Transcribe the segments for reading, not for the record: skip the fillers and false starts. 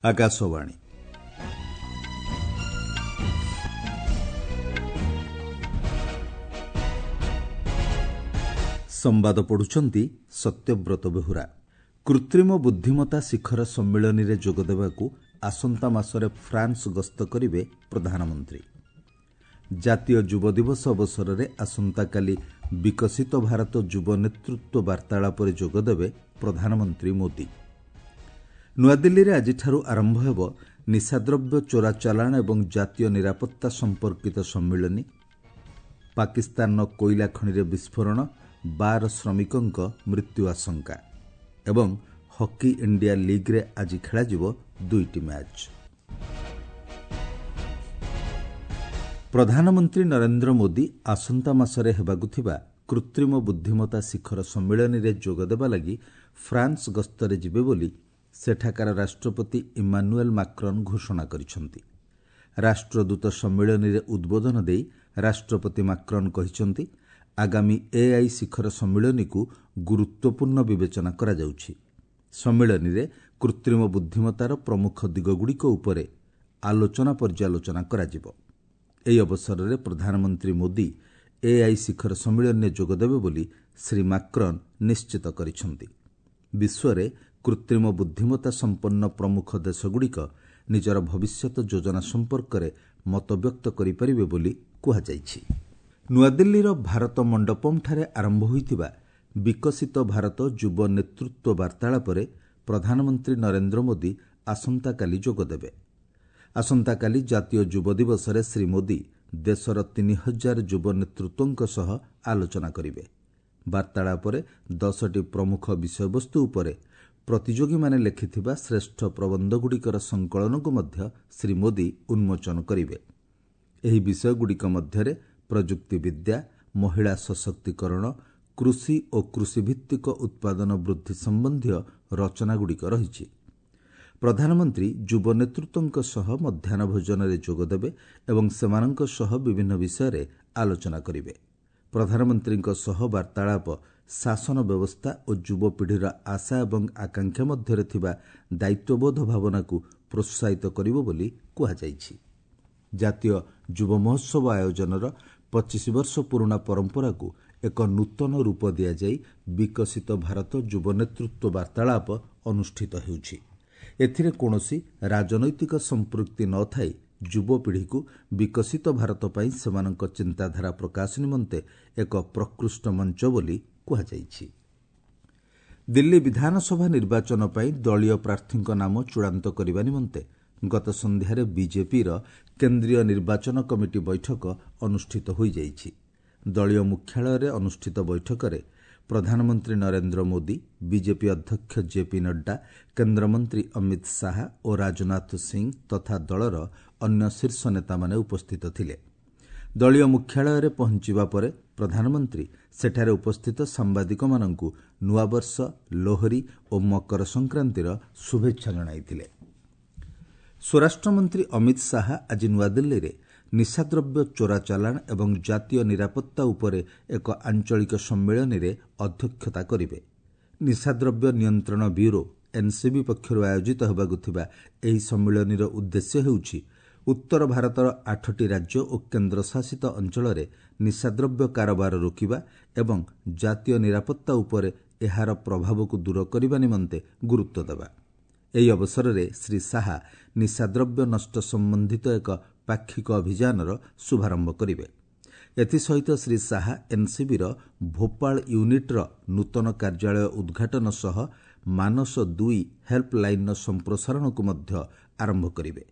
ଆକାଶବାଣୀ। ସମ୍ବାଦ ପଢୁଛନ୍ତି ସତ୍ୟବ୍ରତ ବେହୁରା। କୃତ୍ରିମ ବୁଦ୍ଧିମତ୍ତା ଶିଖର ସମ୍ମିଳନୀରେ ଯୋଗଦେବାକୁ ଆସନ୍ତା ମାସରେ ଫ୍ରାନ୍ସ ଗସ୍ତ କରିବେ ପ୍ରଧାନମନ୍ତ୍ରୀ। ଜାତୀୟ ଯୁବ ଦିବସ ଅବସରରେ ଆସନ୍ତାକାଲି ବିକଶିତ ଭାରତ ଯୁବ ନେତୃତ୍ୱ ବାର୍ତ୍ତାଳାପରେ ଯୋଗଦେବେ ପ୍ରଧାନମନ୍ତ୍ରୀ ମୋଦି। ନୂଆଦିଲ୍ଲୀରେ ଆଜିଠାରୁ ଆରମ୍ଭ ହେବ ନିଶାଦ୍ରବ୍ୟ ଚୋରା ଚାଲାଣ ଏବଂ ଜାତୀୟ ନିରାପତ୍ତା ସମ୍ପର୍କିତ ସମ୍ମିଳନୀ। ପାକିସ୍ତାନର କୋଇଲା ଖଣିରେ ବିସ୍ଫୋରଣ, 12 ଶ୍ରମିକଙ୍କ ମୃତ୍ୟୁ ଆଶଙ୍କା ଏବଂ ହକି ଇଣ୍ଡିଆ ଲିଗ୍ରେ ଆଜି ଖେଳାଯିବ 2ଟି ମ୍ୟାଚ୍। ପ୍ରଧାନମନ୍ତ୍ରୀ ନରେନ୍ଦ୍ର ମୋଦି ଆସନ୍ତା ମାସରେ ହେବାକୁ ଥିବା କୃତ୍ରିମ ବୁଦ୍ଧିମତ୍ତା ଶିଖର ସମ୍ମିଳନୀରେ ଯୋଗଦେବା ଲାଗି ଫ୍ରାନ୍ସ ଗସ୍ତରେ ଯିବେ ବୋଲି ସେଠାକାର ରାଷ୍ଟ୍ରପତି ଇମାନୁଏଲ୍ ମାକ୍ରନ୍ ଘୋଷଣା କରିଛନ୍ତି। ରାଷ୍ଟ୍ରଦୂତ ସମ୍ମିଳନୀରେ ଉଦ୍ବୋଧନ ଦେଇ ରାଷ୍ଟ୍ରପତି ମାକ୍ରନ୍ କହିଛନ୍ତି, ଆଗାମୀ ଏଆଇ ଶିଖର ସମ୍ମିଳନୀକୁ ଗୁରୁତ୍ୱପୂର୍ଣ୍ଣ ବିବେଚନା କରାଯାଉଛି। ସମ୍ମିଳନୀରେ କୃତ୍ରିମ ବୁଦ୍ଧିମତ୍ତାର ପ୍ରମୁଖ ଦିଗଗୁଡ଼ିକ ଉପରେ ଆଲୋଚନା ପର୍ଯ୍ୟାଲୋଚନା କରାଯିବ। ଏହି ଅବସରରେ ପ୍ରଧାନମନ୍ତ୍ରୀ ମୋଦି ଏଆଇ ଶିଖର ସମ୍ମିଳନୀରେ ଯୋଗଦେବେ ବୋଲି ଶ୍ରୀ ମାକ୍ରନ୍ ନିଶ୍ଚିତ କରିଛନ୍ତି। ବିଶ୍ୱରେ କୃତ୍ରିମ ବୁଦ୍ଧିମତ୍ତା ସମ୍ପନ୍ନ ପ୍ରମୁଖ ଦେଶଗୁଡ଼ିକ ନିଜର ଭବିଷ୍ୟତ ଯୋଜନା ସମ୍ପର୍କରେ ମତବ୍ୟକ୍ତ କରିପାରିବେ ବୋଲି କୁହାଯାଇଛି। ନୂଆଦିଲ୍ଲୀର ଭାରତ ମଣ୍ଡପମ୍ଠାରେ ଆରମ୍ଭ ହୋଇଥିବା ବିକଶିତ ଭାରତ ଯୁବ ନେତୃତ୍ୱ ବାର୍ତ୍ତାଳାପରେ ପ୍ରଧାନମନ୍ତ୍ରୀ ନରେନ୍ଦ୍ର ମୋଦି ଆସନ୍ତାକାଲି ଯୋଗଦେବେ। ଆସନ୍ତାକାଲି ଜାତୀୟ ଯୁବ ଦିବସରେ ଶ୍ରୀ ମୋଦି ଦେଶର 3000 ଯୁବ ନେତୃତ୍ୱଙ୍କ ସହ ଆଲୋଚନା କରିବେ। ବାର୍ତ୍ତାଳାପରେ 10ଟି ପ୍ରମୁଖ ବିଷୟବସ୍ତୁ ଉପରେ ପ୍ରତିଯୋଗୀମାନେ ଲେଖିଥିବା ଶ୍ରେଷ୍ଠ ପ୍ରବନ୍ଧଗୁଡ଼ିକର ସଂକଳନକୁ ମଧ୍ୟ ଶ୍ରୀ ମୋଦି ଉନ୍ମୋଚନ କରିବେ। ଏହି ବିଷୟଗୁଡ଼ିକ ମଧ୍ୟରେ ପ୍ରଯୁକ୍ତିବିଦ୍ୟା, ମହିଳା ସଶକ୍ତିକରଣ, କୃଷି ଓ କୃଷିଭିତ୍ତିକ ଉତ୍ପାଦନ ବୃଦ୍ଧି ସମ୍ବନ୍ଧୀୟ ରଚନାଗୁଡ଼ିକ ରହିଛି। ପ୍ରଧାନମନ୍ତ୍ରୀ ଯୁବ ନେତୃତ୍ୱଙ୍କ ସହ ମଧ୍ୟାହ୍ନ ଭୋଜନରେ ଯୋଗଦେବେ ଏବଂ ସେମାନଙ୍କ ସହ ବିଭିନ୍ନ ବିଷୟରେ ଆଲୋଚନା କରିବେ। ପ୍ରଧାନମନ୍ତ୍ରୀଙ୍କ ସହ ବାର୍ତ୍ତାଳାପ ଶାସନ ବ୍ୟବସ୍ଥା ଓ ଯୁବପିଢ଼ିର ଆଶା ଏବଂ ଆକାଂକ୍ଷା ମଧ୍ୟରେ ଥିବା ଦାୟିତ୍ୱବୋଧ ଭାବନାକୁ ପ୍ରୋତ୍ସାହିତ କରିବ ବୋଲି କୁହାଯାଇଛି। ଜାତୀୟ ଯୁବ ମହୋତ୍ସବ ଆୟୋଜନର 25 ବର୍ଷ ପୁରୁଣା ପରମ୍ପରାକୁ ଏକ ନୂତନ ରୂପ ଦିଆଯାଇ ବିକଶିତ ଭାରତ ଯୁବ ନେତୃତ୍ୱ ବାର୍ତ୍ତାଳାପ ଅନୁଷ୍ଠିତ ହେଉଛି। ଏଥିରେ କୌଣସି ରାଜନୈତିକ ସମ୍ପୃକ୍ତି ନ ଥାଇ ଯୁବପିଢ଼ିକୁ ବିକଶିତ ଭାରତ ପାଇଁ ସେମାନଙ୍କ ଚିନ୍ତାଧାରା ପ୍ରକାଶ ନିମନ୍ତେ ଏକ ପ୍ରକୃଷ୍ଟ ମଞ୍ଚ ବୋଲି କୁହାଯାଇଛି। ଦିଲ୍ଲୀ ବିଧାନସଭା ନିର୍ବାଚନ ପାଇଁ ଦଳୀୟ ପ୍ରାର୍ଥୀଙ୍କ ନାମ ଚୂଡ଼ାନ୍ତ କରିବା ନିମନ୍ତେ ଗତ ସନ୍ଧ୍ୟାରେ ବିଜେପିର କେନ୍ଦ୍ରୀୟ ନିର୍ବାଚନ କମିଟି ବୈଠକ ଅନୁଷ୍ଠିତ ହୋଇଯାଇଛି। ଦଳୀୟ ମୁଖ୍ୟାଳୟରେ ଅନୁଷ୍ଠିତ ବୈଠକରେ ପ୍ରଧାନମନ୍ତ୍ରୀ ନରେନ୍ଦ୍ର ମୋଦି, ବିଜେପି ଅଧ୍ୟକ୍ଷ ଜେପି ନଡ୍ଡା, କେନ୍ଦ୍ରମନ୍ତ୍ରୀ ଅମିତ ଶାହା ଓ ରାଜନାଥ ସିଂ ତଥା ଦଳର ଅନ୍ୟ ଶୀର୍ଷ ନେତାମାନେ ଉପସ୍ଥିତ ଥିଲେ। ଦଳୀୟ ମୁଖ୍ୟାଳୟରେ ପହଞ୍ଚିବା ପରେ ପ୍ରଧାନମନ୍ତ୍ରୀ ସେଠାରେ ଉପସ୍ଥିତ ସାମ୍ବାଦିକମାନଙ୍କୁ ନୂଆବର୍ଷ, ଲୋହରୀ ଓ ମକର ସଂକ୍ରାନ୍ତିର ଶୁଭେଚ୍ଛା ଜଣାଇଥିଲେ। ସ୍ୱରାଷ୍ଟ୍ରମନ୍ତ୍ରୀ ଅମିତ ଶାହା ଆଜି ନୂଆଦିଲ୍ଲୀରେ ନିଶାଦ୍ରବ୍ୟ ଚୋରା ଚାଲାଣ ଏବଂ ଜାତୀୟ ନିରାପତ୍ତା ଉପରେ ଏକ ଆଞ୍ଚଳିକ ସମ୍ମିଳନୀରେ ଅଧ୍ୟକ୍ଷତା କରିବେ। ନିଶାଦ୍ରବ୍ୟ ନିୟନ୍ତ୍ରଣ ବ୍ୟୁରୋ ଏନ୍ସିବି ପକ୍ଷରୁ ଆୟୋଜିତ ହେବାକୁ ଥିବା ଏହି ସମ୍ମିଳନୀର ଉଦ୍ଦେଶ୍ୟ ହେଉଛି ଉତ୍ତର ଭାରତର 8ଟି ରାଜ୍ୟ ଓ କେନ୍ଦ୍ରଶାସିତ ଅଞ୍ଚଳରେ ନିଶାଦ୍ରବ୍ୟ କାରବାର ରୋକିବା ଏବଂ ଜାତୀୟ ନିରାପତ୍ତା ଉପରେ ଏହାର ପ୍ରଭାବକୁ ଦୂର କରିବା ନିମନ୍ତେ ଗୁରୁତ୍ୱ ଦେବା। ଏହି ଅବସରରେ ଶ୍ରୀ ଶାହା ନିଶାଦ୍ରବ୍ୟ ନଷ୍ଟ ସମ୍ବନ୍ଧିତ ଏକ ପାକ୍ଷିକ ଅଭିଯାନର ଶୁଭାରମ୍ଭ କରିବେ। ଏଥିସହିତ ଶ୍ରୀ ଶାହା ଏନ୍ସିବିର ଭୋପାଳ ୟୁନିଟ୍ର ନୂତନ କାର୍ଯ୍ୟାଳୟ ଉଦ୍ଘାଟନ ସହ ମାନସ 2 ହେଲ୍ପଲାଇନ୍ର ସମ୍ପ୍ରସାରଣକୁ ମଧ୍ୟ ଆରମ୍ଭ କରିବେ।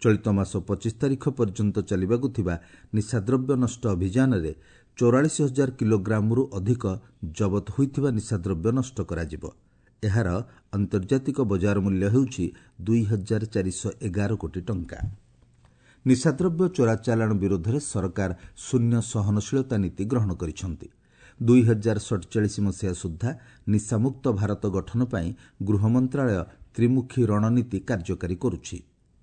ଚଳିତ ମାସ 25 ତାରିଖ ପର୍ଯ୍ୟନ୍ତ ଚାଲିବାକୁ ଥିବା ନିଶାଦ୍ରବ୍ୟ ନଷ୍ଟ ଅଭିଯାନରେ 44,000 କିଲୋଗ୍ରାମରୁ ଅଧିକ ଜବତ ହୋଇଥିବା ନିଶାଦ୍ରବ୍ୟ ନଷ୍ଟ କରାଯିବ। ଏହାର ଆନ୍ତର୍ଜାତିକ ବଜାର ମୂଲ୍ୟ ହେଉଛି 2,411 କୋଟି ଟଙ୍କା। ନିଶାଦ୍ରବ୍ୟ ଚୋରା ଚାଲାଣ ବିରୋଧରେ ସରକାର ଶୂନ୍ୟ ସହନଶୀଳତା ନୀତି ଗ୍ରହଣ କରିଛନ୍ତି। 2047 ମସିହା ସୁଦ୍ଧା ନିଶାମୁକ୍ତ ଭାରତ ଗଠନ ପାଇଁ ଗୃହ ମନ୍ତ୍ରାଳୟ ତ୍ରିମୁଖୀ ରଣନୀତି କାର୍ଯ୍ୟକାରୀ କରୁଛି।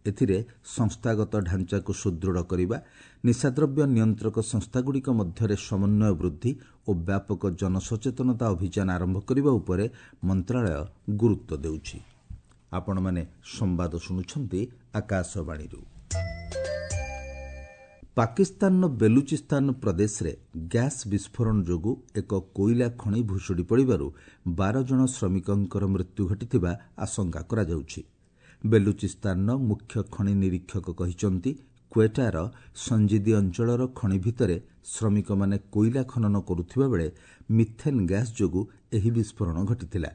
ଏଥିରେ ସଂସ୍ଥାଗତ ଢାଞ୍ଚାକୁ ସୁଦୃଢ଼ କରିବା, ନିଶାଦ୍ରବ୍ୟ ନିୟନ୍ତ୍ରକ ସଂସ୍ଥାଗୁଡ଼ିକ ମଧ୍ୟରେ ସମନ୍ୱୟ ବୃଦ୍ଧି ଓ ବ୍ୟାପକ ଜନସଚେତନତା ଅଭିଯାନ ଆରମ୍ଭ କରିବା ଉପରେ ମନ୍ତ୍ରାଳୟ ଗୁରୁତ୍ୱ ଦେଉଛି। ଆପଣମାନେ ସମ୍ବାଦ ଶୁଣୁଛନ୍ତି ଆକାଶବାଣୀରୁ। ପାକିସ୍ତାନର ବେଲୁଚିସ୍ତାନ ପ୍ରଦେଶରେ ଗ୍ୟାସ୍ ବିସ୍ଫୋରଣ ଯୋଗୁଁ ଏକ କୋଇଲା ଖଣି ଭୁଶୁଡ଼ି ପଡ଼ିବାରୁ 12 ଜଣ ଶ୍ରମିକଙ୍କର ମୃତ୍ୟୁ ଘଟିଥିବା ଆଶଙ୍କା କରାଯାଉଛି। ବେଲୁଚିସ୍ତାନର ମୁଖ୍ୟ ଖଣି ନିରୀକ୍ଷକ କହିଛନ୍ତି, କ୍ୱେଟାର ସଞ୍ଜିଦି ଅଞ୍ଚଳର ଖଣି ଭିତରେ ଶ୍ରମିକମାନେ କୋଇଲା ଖନନ କରୁଥିବା ବେଳେ ମିଥେନ୍ ଗ୍ୟାସ୍ ଯୋଗୁଁ ଏହି ବିସ୍ଫୋରଣ ଘଟିଥିଲା।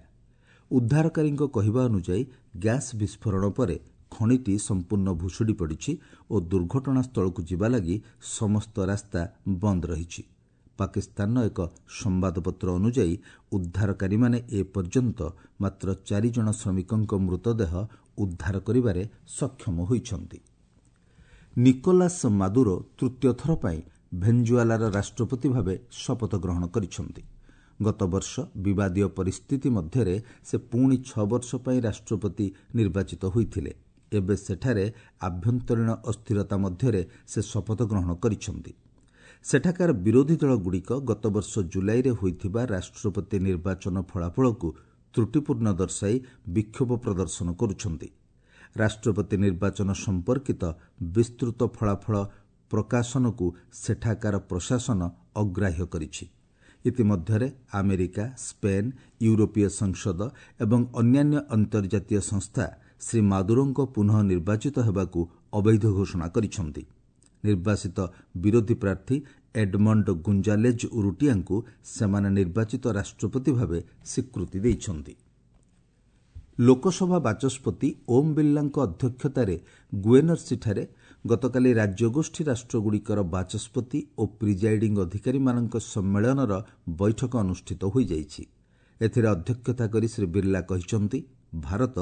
ଉଦ୍ଧାରକାରୀଙ୍କ କହିବା ଅନୁଯାୟୀ, ଗ୍ୟାସ୍ ବିସ୍ଫୋରଣ ପରେ ଖଣିଟି ସମ୍ପୂର୍ଣ୍ଣ ଭୁଶୁଡ଼ି ପଡ଼ିଛି ଓ ଦୁର୍ଘଟଣାସ୍ଥଳକୁ ଯିବା ଲାଗି ସମସ୍ତ ରାସ୍ତା ବନ୍ଦ ରହିଛି। ପାକିସ୍ତାନର ଏକ ସମ୍ବାଦପତ୍ର ଅନୁଯାୟୀ, ଉଦ୍ଧାରକାରୀମାନେ ଏପର୍ଯ୍ୟନ୍ତ ମାତ୍ର 4 ଜଣ ଶ୍ରମିକଙ୍କ ମୃତଦେହ ଉଦ୍ଧାର କରିବାରେ ସକ୍ଷମ ହୋଇଛନ୍ତି। ନିକୋଲାସ୍ ମାଦୁରୋ ତୃତୀୟ ଥର ପାଇଁ ଭେଞ୍ଜୁଆଲାର ରାଷ୍ଟ୍ରପତି ଭାବେ ଶପଥ ଗ୍ରହଣ କରିଛନ୍ତି। ଗତବର୍ଷ ବିବାଦୀୟ ପରିସ୍ଥିତି ମଧ୍ୟରେ ସେ ପୁଣି 6 ବର୍ଷ ପାଇଁ ରାଷ୍ଟ୍ରପତି ନିର୍ବାଚିତ ହୋଇଥିଲେ। ଏବେ ସେଠାରେ ଆଭ୍ୟନ୍ତରୀଣ ଅସ୍ଥିରତା ମଧ୍ୟରେ ସେ ଶପଥ ଗ୍ରହଣ କରିଛନ୍ତି। ସେଠାକାର ବିରୋଧୀ ଦଳଗୁଡ଼ିକ ଗତବର୍ଷ ଜୁଲାଇରେ ହୋଇଥିବା ରାଷ୍ଟ୍ରପତି ନିର୍ବାଚନ ଫଳାଫଳକୁ ତ୍ରୁଟିପୂର୍ଣ୍ଣ ଦର୍ଶାଇ ବିକ୍ଷୋଭ ପ୍ରଦର୍ଶନ କରୁଛନ୍ତି। ରାଷ୍ଟ୍ରପତି ନିର୍ବାଚନ ସମ୍ପର୍କିତ ବିସ୍ତୃତ ଫଳାଫଳ ପ୍ରକାଶନକୁ ସେଠାକାର ପ୍ରଶାସନ ଅଗ୍ରାହ୍ୟ କରିଛି। ଇତିମଧ୍ୟରେ ଆମେରିକା, ସ୍ପେନ୍, ୟୁରୋପୀୟ ସଂସଦ ଏବଂ ଅନ୍ୟାନ୍ୟ ଅନ୍ତର୍ଜାତୀୟ ସଂସ୍ଥା ଶ୍ରୀ ମାଦୁରୋଙ୍କ ପୁନଃ ନିର୍ବାଚିତ ହେବାକୁ ଅବୈଧ ଘୋଷଣା କରିଛନ୍ତି। ନିର୍ବାସିତ ବିରୋଧୀ ପ୍ରାର୍ଥୀ ଏଡମଣ୍ଡ ଗୁଞ୍ଜାଲେଜ୍ ଉରୁଟିଆଙ୍କୁ ସେମାନେ ନିର୍ବାଚିତ ରାଷ୍ଟ୍ରପତି ଭାବେ ସ୍ୱୀକୃତି ଦେଇଛନ୍ତି। ଲୋକସଭା ବାଚସ୍ପତି ଓମ୍ ବିର୍ଲାଙ୍କ ଅଧ୍ୟକ୍ଷତାରେ ଗୁଏନର୍ସିଠାରେ ଗତକାଲି ରାଜ୍ୟଗୋଷ୍ଠୀ ରାଷ୍ଟ୍ରଗୁଡ଼ିକର ବାଚସ୍ପତି ଓ ପ୍ରିଜାଇଡିଂ ଅଧିକାରୀମାନଙ୍କ ସମ୍ମେଳନର ବୈଠକ ଅନୁଷ୍ଠିତ ହୋଇଯାଇଛି। ଏଥିରେ ଅଧ୍ୟକ୍ଷତା କରି ଶ୍ରୀ ବିର୍ଲା କହିଛନ୍ତି, ଭାରତ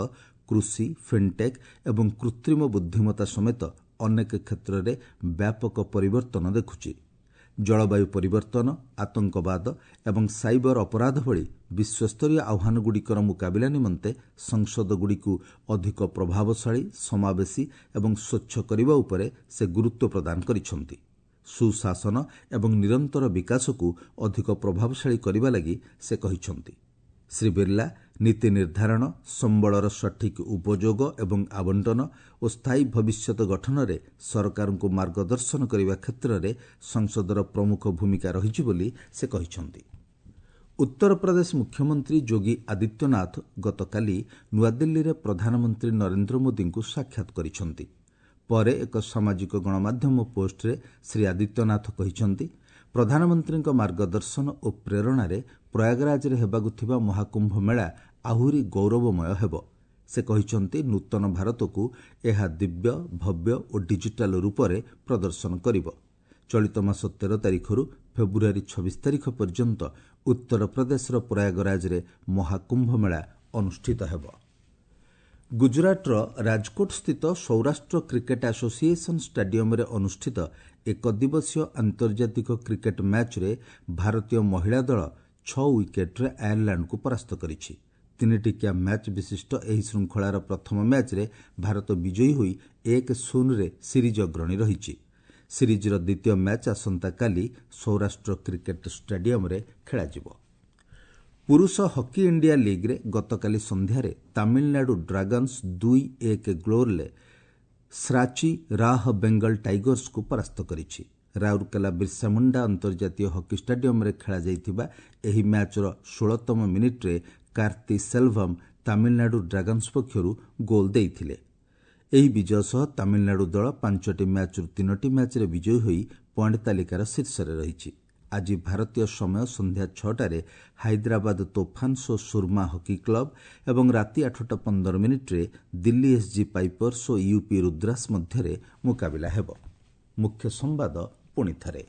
କୃଷି, ଫିନ୍ଟେକ୍ ଏବଂ କୃତ୍ରିମ ବୁଦ୍ଧିମତା ସମେତ ଅନେକ କ୍ଷେତ୍ରରେ ବ୍ୟାପକ ପରିବର୍ତ୍ତନ ଦେଖୁଛି। ଜଳବାୟୁ ପରିବର୍ତ୍ତନ, ଆତଙ୍କବାଦ ଏବଂ ସାଇବର ଅପରାଧ ଭଳି ବିଶ୍ୱସ୍ତରୀୟ ଆହ୍ୱାନଗୁଡ଼ିକର ମୁକାବିଲା ନିମନ୍ତେ ସଂସଦଗୁଡ଼ିକୁ ଅଧିକ ପ୍ରଭାବଶାଳୀ, ସମାବେଶୀ ଏବଂ ସ୍ୱଚ୍ଛ କରିବା ଉପରେ ସେ ଗୁରୁତ୍ୱ ପ୍ରଦାନ କରିଛନ୍ତି। ସୁଶାସନ ଏବଂ ନିରନ୍ତର ବିକାଶକୁ ଅଧିକ ପ୍ରଭାବଶାଳୀ କରିବା ଲାଗି ସେ କହିଛନ୍ତି। ଶ୍ରୀ ବିର୍ଲା ନୀତି ନିର୍ଦ୍ଧାରଣ, ସମ୍ବଳର ସଠିକ୍ ଉପଯୋଗ ଏବଂ ଆବଣ୍ଟନ ଓ ସ୍ଥାୟୀ ଭବିଷ୍ୟତ ଗଠନରେ ସରକାରଙ୍କୁ ମାର୍ଗଦର୍ଶନ କରିବା କ୍ଷେତ୍ରରେ ସଂସଦର ପ୍ରମୁଖ ଭୂମିକା ରହିଛି ବୋଲି ସେ କହିଛନ୍ତି। ଉତ୍ତରପ୍ରଦେଶ ମୁଖ୍ୟମନ୍ତ୍ରୀ ଯୋଗୀ ଆଦିତ୍ୟନାଥ ଗତକାଲି ନୂଆଦିଲ୍ଲୀରେ ପ୍ରଧାନମନ୍ତ୍ରୀ ନରେନ୍ଦ୍ର ମୋଦିଙ୍କୁ ସାକ୍ଷାତ କରିଛନ୍ତି। ପରେ ଏକ ସାମାଜିକ ଗଣମାଧ୍ୟମ ପୋଷ୍ଟରେ ଶ୍ରୀ ଆଦିତ୍ୟନାଥ କହିଛନ୍ତି, ପ୍ରଧାନମନ୍ତ୍ରୀଙ୍କ ମାର୍ଗଦର୍ଶନ ଓ ପ୍ରେରଣାରେ ପ୍ରୟାଗରାଜରେ ହେବାକୁ ଥିବା ମହାକୁମ୍ଭ ମେଳା ଆହୁରି ଗୌରବମୟ ହେବ। ସେ କହିଛନ୍ତି, ନୂତନ ଭାରତକୁ ଏହା ଦିବ୍ୟ, ଭବ୍ୟ ଓ ଡିଜିଟାଲ ରୂପରେ ପ୍ରଦର୍ଶନ କରିବ। ଚଳିତ ମାସ 13 ତାରିଖରୁ ଫେବୃଆରୀ 26 ତାରିଖ ପର୍ଯ୍ୟନ୍ତ ଉତ୍ତରପ୍ରଦେଶର ପ୍ରୟାଗରାଜରେ ମହାକୁମ୍ଭ ମେଳା ଅନୁଷ୍ଠିତ ହେବ। ଗୁଜରାଟର ରାଜକୋଟସ୍ଥିତ ସୌରାଷ୍ଟ୍ର କ୍ରିକେଟ୍ ଆସୋସିଏସନ୍ ଷ୍ଟାଡିୟମରେ ଅନୁଷ୍ଠିତ ଏକଦିବସୀୟ ଆନ୍ତର୍ଜାତିକ କ୍ରିକେଟ୍ ମ୍ୟାଚ୍ରେ ଭାରତୀୟ ମହିଳା ଦଳ 6 ୱିକେଟ୍ରେ ଆୟାରଲାଣ୍ଡକୁ ପରାସ୍ତ କରିଛି। 3ଟିକିଆ ମ୍ୟାଚ୍ ବିଶିଷ୍ଟ ଏହି ଶୃଙ୍ଖଳାର ପ୍ରଥମ ମ୍ୟାଚ୍ରେ ଭାରତ ବିଜୟୀ ହୋଇ 1-0ରେ ସିରିଜ୍ ଅଗ୍ରଣୀ ରହିଛି। ସିରିଜ୍ର ଦ୍ୱିତୀୟ ମ୍ୟାଚ୍ ଆସନ୍ତାକାଲି ସୌରାଷ୍ଟ୍ର କ୍ରିକେଟ୍ ଷ୍ଟାଡିୟମରେ ଖେଳାଯିବ। ପୁରୁଷ ହକି ଇଣ୍ଡିଆ ଲିଗ୍ରେ ଗତକାଲି ସନ୍ଧ୍ୟାରେ ତାମିଲନାଡୁ ଡ୍ରାଗନ୍ସ 2-1 ଗୋଲ୍ରେ ଶ୍ରାଚି ରାହ ବେଙ୍ଗଲ ଟାଇଗର୍ସକୁ ପରାସ୍ତ କରିଛି। ରାଉରକେଲା ବିର୍ସାମୁଣ୍ଡା ଅନ୍ତର୍ଜାତୀୟ ହକି ଷ୍ଟାଡିୟମରେ ଖେଳାଯାଇଥିବା ଏହି ମ୍ୟାଚ୍ର 16ତମ ମିନିଟ୍ରେ କାର୍ତ୍ତି ସେଲଭମ୍ ତାମିଲନାଡୁ ଡ୍ରାଗନ୍ସ ପକ୍ଷରୁ ଗୋଲ୍ ଦେଇଥିଲେ। ଏହି ବିଜୟ ସହ ତାମିଲନାଡୁ ଦଳ 5ଟି ମ୍ୟାଚ୍ରୁ 3ଟି ମ୍ୟାଚ୍ରେ ବିଜୟୀ ହୋଇ ପଏଣ୍ଟ ତାଲିକାର ଶୀର୍ଷରେ ରହିଛି। ଆଜି ଭାରତୀୟ ସମୟ ସନ୍ଧ୍ୟା 6ଟାରେ ହାଇଦ୍ରାବାଦ ତୋଫାନ୍ସ ଓ ସୁର୍ମା ହକି କ୍ଲବ ଏବଂ ରାତି 8ଟା 15 ମିନିଟ୍ରେ ଦିଲ୍ଲୀ ଏସ୍ଜି ପାଇପର୍ସ ଓ ୟୁପି ରୁଦ୍ରାସ ମଧ୍ୟରେ ମୁକାବିଲା ହେବ। ମୁଖ୍ୟ ସମ୍ବାଦ ପୁଣି ଥରେ।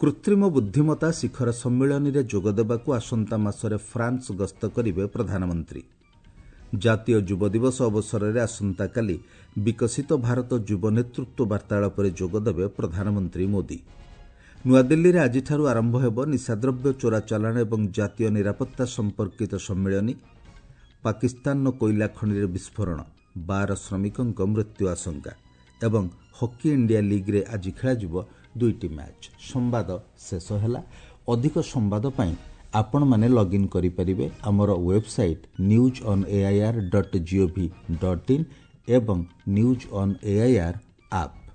କୃତ୍ରିମ ବୁଦ୍ଧିମତା ଶିଖର ସମ୍ମିଳନୀରେ ଯୋଗଦେବାକୁ ଆସନ୍ତା ମାସରେ ଫ୍ରାନ୍ସ ଗସ୍ତ କରିବେ ପ୍ରଧାନମନ୍ତ୍ରୀ। ଜାତୀୟ ଯୁବ ଦିବସ ଅବସରରେ ଆସନ୍ତାକାଲି ବିକଶିତ ଭାରତ ଯୁବ ନେତୃତ୍ୱ ବାର୍ତ୍ତାଳାପରେ ଯୋଗଦେବେ ପ୍ରଧାନମନ୍ତ୍ରୀ ମୋଦି। ନୂଆଦିଲ୍ଲୀରେ ଆଜିଠାରୁ ଆରମ୍ଭ ହେବ ନିଶାଦ୍ରବ୍ୟ ଚୋରାଚାଲାଣ ଏବଂ ଜାତୀୟ ନିରାପତ୍ତା ସମ୍ପର୍କିତ ସମ୍ମିଳନୀ। ପାକିସ୍ତାନର କୋଇଲା ଖଣିରେ ବିସ୍ଫୋରଣ, 12 ଶ୍ରମିକଙ୍କ ମୃତ୍ୟୁ ଆଶଙ୍କା ଏବଂ ହକି ଇଣ୍ଡିଆ ଲିଗ୍ରେ ଆଜି ଖେଳାଯିବ 2ଟି ମ୍ୟାଚ୍। ସମ୍ବାଦ ଶେଷ ହେଲା। ଅଧିକ ସମ୍ବାଦ ପାଇଁ ଆପଣମାନେ ଲଗ୍ଇନ୍ କରିପାରିବେ ଆମର website news on AIR dot GOV dot in ଏବଂ ନ୍ୟୁଜ୍ ଅନ୍ ଏଆଇଆର୍ ଆପ୍।